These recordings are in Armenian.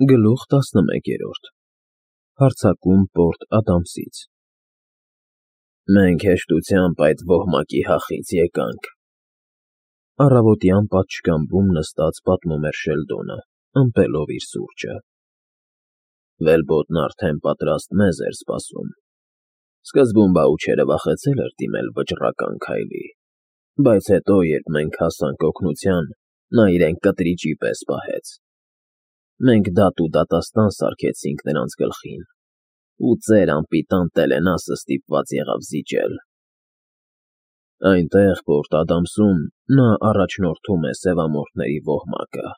Գլուխ 11 Հարձակում Պորտ Ադամսից Մենք հեշտությամբ այդ ոհմակի հախից եկանք։ Առավոտյան պատշգամբում նստած պատմում էր Շելդոնը, ըմպելով իր սուրճը։ Վելբոտնն արդեն պատրաստ մեզ էր սպասում։ Սկզբում Բաուչերը վախեցել էր դիմել վճռական քայլի, բայց հետո, երբ մենք հասանք օգնության, նա իրեն կտրիճի պես պահեց։ Մենք դատ ու դատաստան սարքեցինք նրանց գլխին, ու ծեր անպիտան Տելենասը ստիպված եղավ զիջել։ Այնտեղ, Պորտ Ադամսում, նա առաջնորդում է սևամորթների ոհմակը։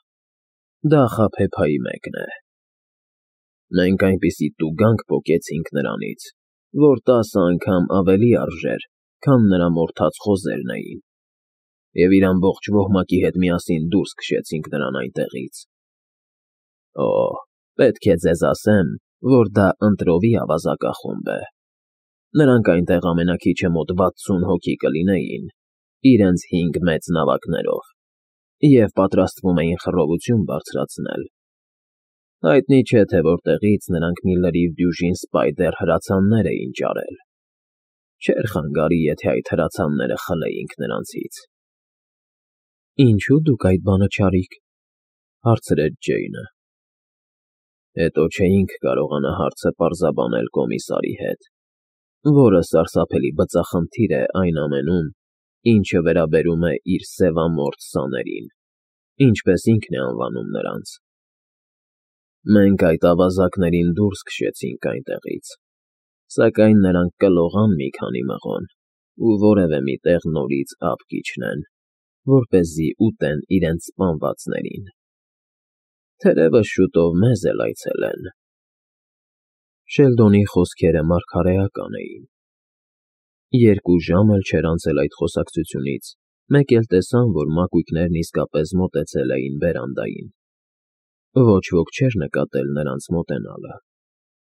Դա Խաբեբայի մեկն է։ Մենք այնպիսի տուգանք պոկեցինք նրանից, որ 10 անգամ ավելի արժեր, քան նրա մորթած խոզերն էին, և իր ամբողջ ոհմակի հետ միասին դուրս քշեցինք նրան այնտեղից։ Օ, պետք է ձեզ ասեմ, որ դա ընտրովի ավազակախումբ է։ Նրանք այնտեղ ամենաքիչը մոտ 60 հոգի կլինեին, իրենց 5 մեծ նավակներով, և պատրաստվում էին խռովություն բարձրացնել։ Հայտնի չէ, թե որտեղից նրանք մի լրիվ դյուժին սպայդեր հրացաններ էին ճարել։ Չէր խանգարի, եթե այդ հրացանները խլեինք նրանցից։ Ինչու դուք այդ բանը չարիք, հարցրեց Ջեյնը։ Հետո չէինք կարողանա հարցը պարզաբանել կոմիսարի հետ, որը սարսափելի բծախնդիր է այն ամենում, ինչը վերաբերում է իր սևամորթ սաներին, ինչպես ինքն է անվանում նրանց։ Մենք այդ ավազակներին դուրս քշեցինք այնտեղից, սակայն նրանք կլողան մի քանի մղոն ու որևէ մի տեղ նորից ափ կիջնեն, որպեսզի ուտեն իրենց սպանվածներին։ Թերևս շուտով մեզ էլ այցելեն։ Շելդոնի խոսքերը մարգարեական էին։ 2 ժամ էլ չէր անցել այդ խոսակցությունից, մեկ էլ տեսան, որ մակույկներն իսկապես մոտեցել էին բերանդային։ Ոչ ոք չէր նկատել նրանց մոտենալը։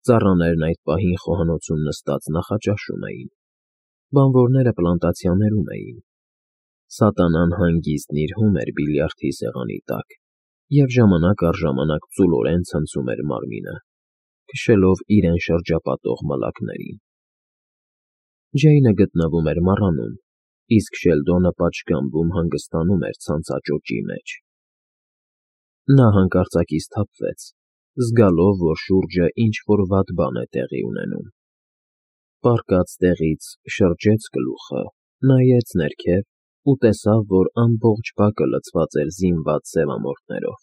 Ծառաներն այդ պահին խոհանոցում նստած նախաճաշում էին։ Բանվորները պլանտացիաներում էին։ Սատանան հանգիստ նիրհում էր բիլիարդի սեղանի տակ և ժամանակ առ ժամանակ ծուլորեն ցնցում էր մարմինը, քշելով իրեն շրջապատող մլակներին։ Ջեյնը գտնվում էր մառանում, իսկ Շելդոնը պատշգամբում հանգստանում էր ցանցաճոճի մեջ։ Նա հանկարծակի սթափվեց, զգալով, որ շուրջը ինչ-որ վատ բան է տեղի ունենում։ Պառկած տեղից շրջեց գլուխը, նայեց ներքև ու տեսավ, որ ամբողջ բակը լցված էր զինված սևամորթներով։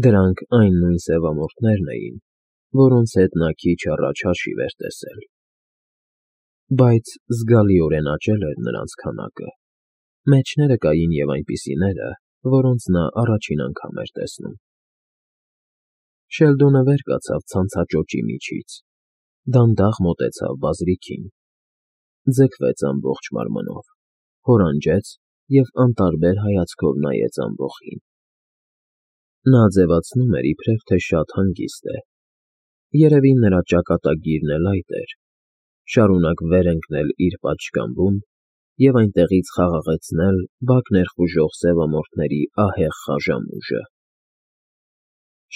Դրանք այն նույն սևամորթներն էին, որոնց հետ նա քիչ առաջ հաշիվ էր տեսել։ Բայց զգալիորեն աճել էր նրանց քանակը։ Մեջները կային և այնպիսիները, որոնց նա առաջին անգամ էր տեսնում։ Շելդոնը վեր կացավ ցանցաճոճի միջից, դանդաղ մոտեցավ բազրիքին, ձգվեց ամբողջ մարմնով, հորանջեց և անտարբեր հայացքով նայեց ամբոխին։ Նա ձևացնում էր, իբրև թե շատ հանգիստ է։ Երևի նրա ճակատագիրն էլ այդ էր՝ շարունակ վեր ընկնել իր պատշգամբում և այնտեղից խաղաղեցնել բակ ներխուժող սևամորթների ահեղ խաժամուժը։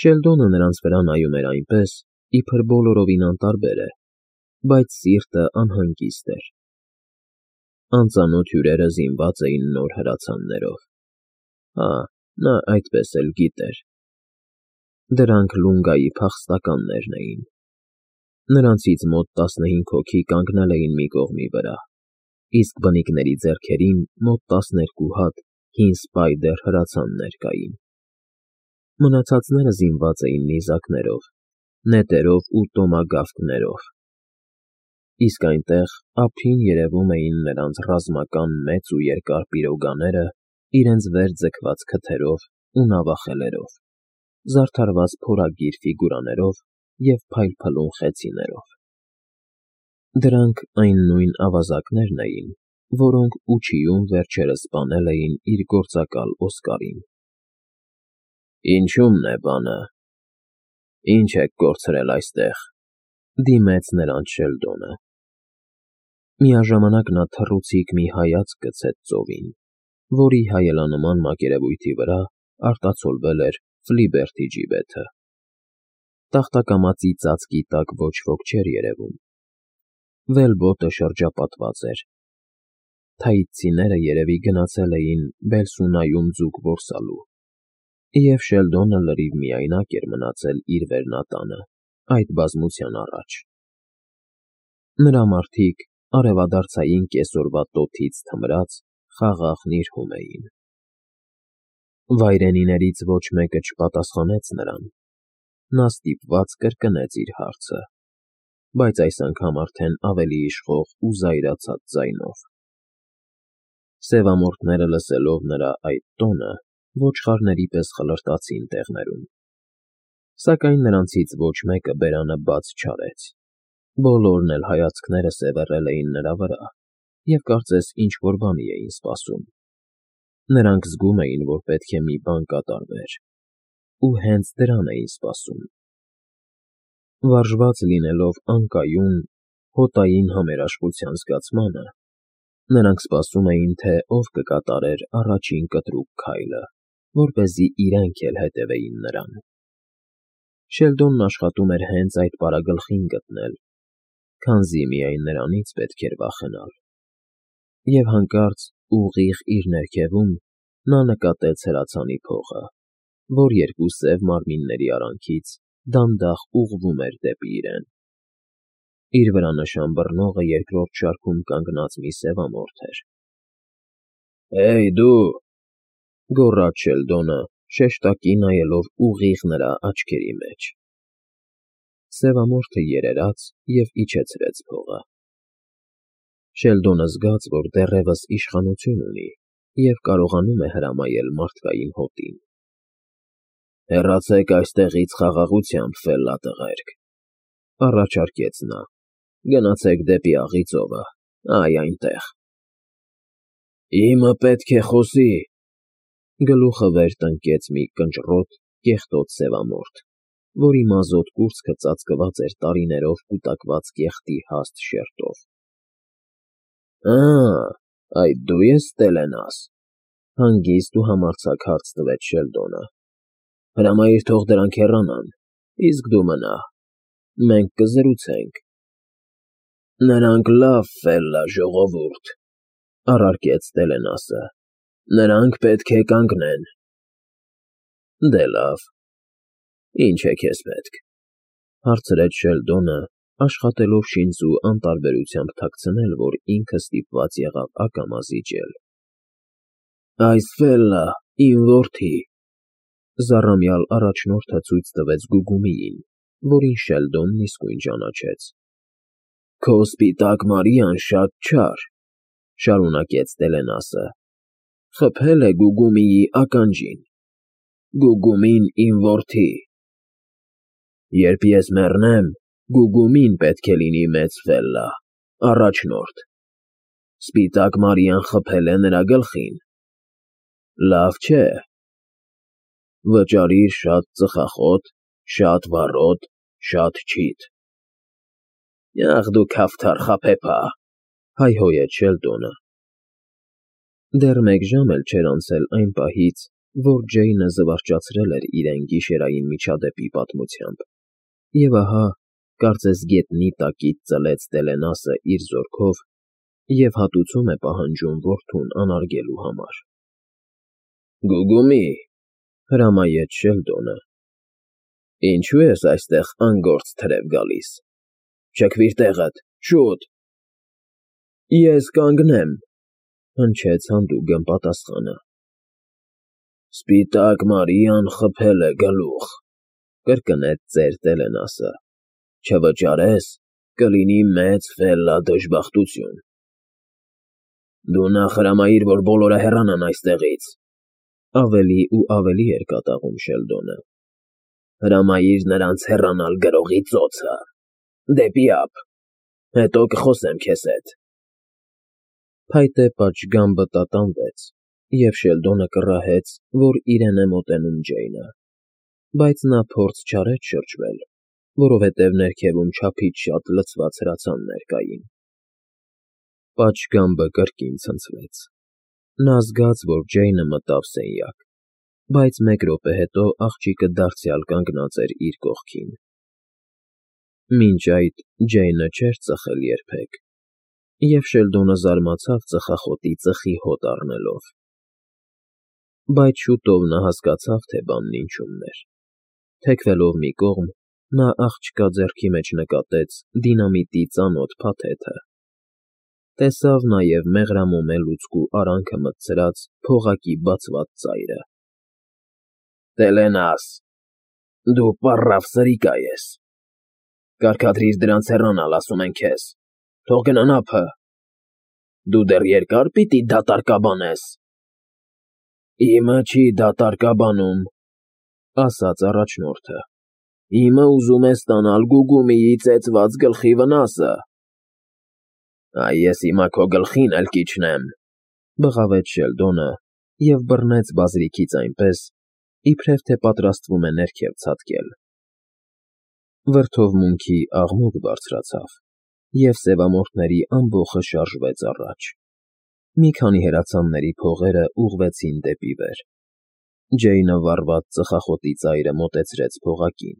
Շելդոնը նրանց վրա նայում էր այնպես, իբր բոլորովին անտարբեր է, բայց սիրտը անհանգիստ էր։ Անծանոթ հյուրերը զինված էին նոր հրացաններով։ Հա, նա այդպես էլ գիտեր։ Դրանք Լունգայի փախստականներն էին։ Նրանցից մոտ 15 հոգի կանգնել էին մի կողմի վրա, իսկ բնիկների ձեռքերին մոտ 12 հատ հին սպայդեր հրացաններ կային։ Մնացածները զինված էին նիզակներով, նետերով ու տոմագավթներով, իսկ այնտեղ ափին երևում էին նրանց ռազմական մեծ ու երկար պիրոգաները իրենց վեր ձգված քթերով ու նավախելերով, զարդարված փորագիր ֆիգուրաներով և փայլփլուն խեցիներով։ Դրանք այն նույն ավազակներն էին, որոնք Ուչիում վերջերս սպանել էին իր գործակալ Օսկարին։ Ինչո՞ւմն է բանը։ Ինչ եք կորցրել այստեղ,֊ դիմեց նրանց Շելդոնը։ Միաժամանակ նա թռուցիկ մի հայացք գցեց ծովին, որի հայելանման մակերևույթի վրա արտացոլվել էր Ֆլիբերթի ջիբեթը։ Տախտակամածի ծածկի տակ ոչ ոք չէր երևում։ Վելբոտը շրջապատված էր։ Թաիցիները երևի գնացել էին Բելսունայում ձուկ որսալու, և Շելդոնը լրիվ միայնակ էր մնացել իր վերնատանը այդ բազմության առաջ։ Նրա մարդիկ արևադարձային կեսօրվա տոթից թմրած խաղաղ նիրհում էին։ Վայրենիներից ոչ մեկը չպատասխանեց նրան։ Նա ստիպված կրկնեց իր հարցը, բայց այս անգամ արդեն ավելի իշխող ու զայրացած ձայնով։ Սևամորթները լսելով նրա այդ տոնը, ոչխարների պես խլրտացին տեղներում։ Սակայն նրանցից ոչ մեկը բերանը բաց չարեց։ Բոլորն էլ հայացքները սևեռել էին նրա վրա և կարծես ինչ-որ բանի էին սպասում։ Նրանք զգում էին, որ պետք է մի բան կատարվեր, ու հենց դրան էին սպասում։ Վարժված լինելով անկայուն, հոտային համերաշխության զգացմանը, նրանք սպասում էին, թե ով կկատարեր առաջին կտրուկ քայլը, որպեսզի իրենք էլ հետևեին նրան։ Շելդոնն աշխատում էր հենց այդ պարագլխին գտնել, քանզի միայն նրանից պետք էր վախենալ։ Եվ հանկարծ ուղիղ իր ներքևում նա նկատեց հրացանի փողը, որ երկու սև մարմինների արանքից դանդաղ ուղղվում էր դեպի իրեն։ Իր վրա նշան բռնողը երկրորդ շարքում կանգնած մի սևամորթ էր։ «Հեյ, դու», գոռաց Շելդոնը, շեշտակի նայելով ուղիղ նրա աչքերի մեջ։ Սևամորթը երերաց և իջեցրեց փողը։ Շելդոնը զգաց, որ դեռևս իշխանություն ունի և կարողանում է հրամայել մարդկային հոտին։ «Հեռացեք այստեղից խաղաղությամբ, ֆելլատղերք», առաջարկեց նա։ «Գնացեք դեպի աղի ծովը, այ այնտեղ»։ «Իմը պետք է խոսի», գլուխը վեր տնկեց մի կնճռոտ, կեղտոտ սևամորթ, որի մազոտ կուրծքը ծածկված էր տարիներով կուտակված կեղտի հաստ շերտով։ Այդ դու ես Ստելենաս, հանգիստ ու համարձակ հարց տվեց Շելդոնը։ Հրամայիր թող դրանք հեռանան, իսկ դու մնա, մենք կզրուցենք։ Նրանք լավ, ֆելլա ժողովուրդ, առարկեց Ստելենասը, նրանք պետք է կանգնեն։ Դե լավ, ինչ է քեզ պետք, հարցրեց Շելդոնը, աշխատելով շինծու անտարբերությամբ թաքցնել, որ ինքը ստիպված եղավ ակամա զիջել։ Այս ֆելլա, իմ որդի, զառամյալ առաջնորդը ցույց տվեց Գուգումիին, որին Շելդոնն իսկույն ճանաչեց։ Քո սպիտակ Մարիան շատ չար, շարունակեց Ստելենասը, խփել է Գուգումիի ականջին։ Գուգումին իմ որդի։ Երբ ես մեռնեմ, Գուգումին պետք է լինի մեծ ֆելլա, առաջնորդ։ Սպիտակ Մարիան խփել է նրա գլխին։ Լավ չէ։ Վճարիր շատ ծխախոտ, շատ վառոդ, շատ չիթ։ Ախ դու քավթար խաբեբա, հայհոյեց Շելդոնը։ Դեռ մեկ ժամ էլ չէր անցել այն պահից, որ Ջեյնը զվարճացրել էր իրեն գիշերային միջադեպի պատմությամբ, և ահա, կարծես գետնի տակից ծլեց Ստելենասը իր զորքով և հատուցում է պահանջում որդուն անարգելու համար։ Գուգումի, հրամայեց Շելդոնը։ Ինչու ես այստեղ անգործ թրև գալիս։ Չքվիր տեղդ, շուտ։ Ես կանգնեմ, հնչեց հանդուգն պատասխանը։ Սպիտակ Մարիան խփել է գլուխ, կրկնեց ծեր Ստելենասը։ Չվճարես, կլինի մեծ ֆելլա դժբախտություն։ Դու նախ հրամայիր, որ բոլորը հեռանան այստեղից, ավելի ու ավելի էր կատաղում Շելդոնը։ Հրամայիր նրանց հեռանալ գրողի ծոցը, դեպի ափ, հետո կխոսեմ քեզ հետ։ Փայտե պատշգամբը տատանվեց, և Շելդոնը կռահեց, որ իրեն է մոտենում Ջեյնը, բայց նա փորձ չարեց շրջվել, որովհետև ներքևում չափից շատ լցված հրացաններ կային։ Պատշգամբը կրկին ցնցվեց։ Նա զգաց, որ Ջեյնը մտավ սենյակ, բայց մեկ րոպե հետո աղջիկը դարձյալ կանգնած էր իր կողքին։ Մինչ այդ Ջեյնը չէր ծխել երբեք, և Շելդոնը զարմացավ ծխախոտի ծխի հոտ առնելով։ Բայց շուտով նա հասկացավ, թե բանն ինչումն էր։ Թեքվելով մի կողմ, նա աղջկա ձեռքի մեջ նկատեց դինամիտի ծանոթ փաթեթը։ Տեսավ նաև մեղրամոմե լուցկու արանքը մտցրած փողակի բացված ծայրը։ «Տելենաս, դու պառավ սրիկա ես, կարգադրիր դրանց հեռանալ, ասում են քեզ, թող գնան ափը, դու դեռ երկա՞ր պիտի դատարկաբանես»։ «Իմը չի դատարկաբանում,֊ ասաց առաջնորդը,֊ իմը ուզում է ստանալ Գուգումիի ծեծված գլխի վնասը»։ «Այ ես հիմա քո գլխին էլ կիջնեմ,֊ բղավեց Շելդոնը և բռնեց բազրիքից այնպես, իբրև թե պատրաստվում է ներքև ցատկել։ Վրդովմունքի աղմուկ բարձրացավ, և սևամորթների ամբոխը շարժվեց առաջ։ Մի քանի հրացանների փողերը ուղղվեցին դեպի վեր։ Ջեյնը վառված ծխախոտի ծայրը մոտեցրեց փողակին։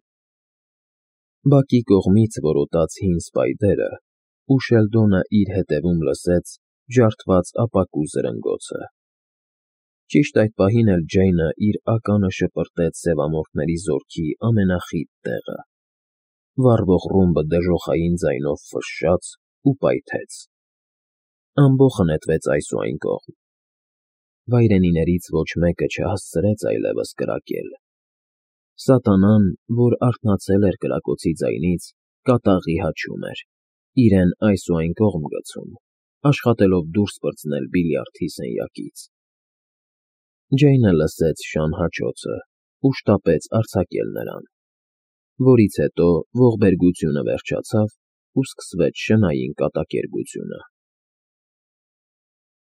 Բակի կողմից որոտաց հին սպայդերը, ու Շելդոնը իր հետևում լսեց ջարդված ապակու զրնգոցը։ Ճիշտ այդ պահին էլ Ջեյնը իր ականը շպրտեց սևամորթների զորքի ամենախիտ տեղը։ Վառվող ռումբը դժոխային ձայնով ֆշշաց ու պայթեց։ Ամբոխը նետվեց այս ու այն կողմ։ Վայրենիներից ոչ մեկը չհասցրեց այլևս կրակել։ Սատանան, որ արթնացել էր կրակոցի ձայնից, կատաղի հաչում էր, իրեն այս ու այն կողմ գցում, աշխատելով դուրս պրծնել բիլիարդի սենյակից։ Ջեյնը լսեց շան հաչոցը ու շտապեց արձակել նրան, որից հետո ողբերգությունը վերջացավ ու սկսվեց շնային կատակերգությունը։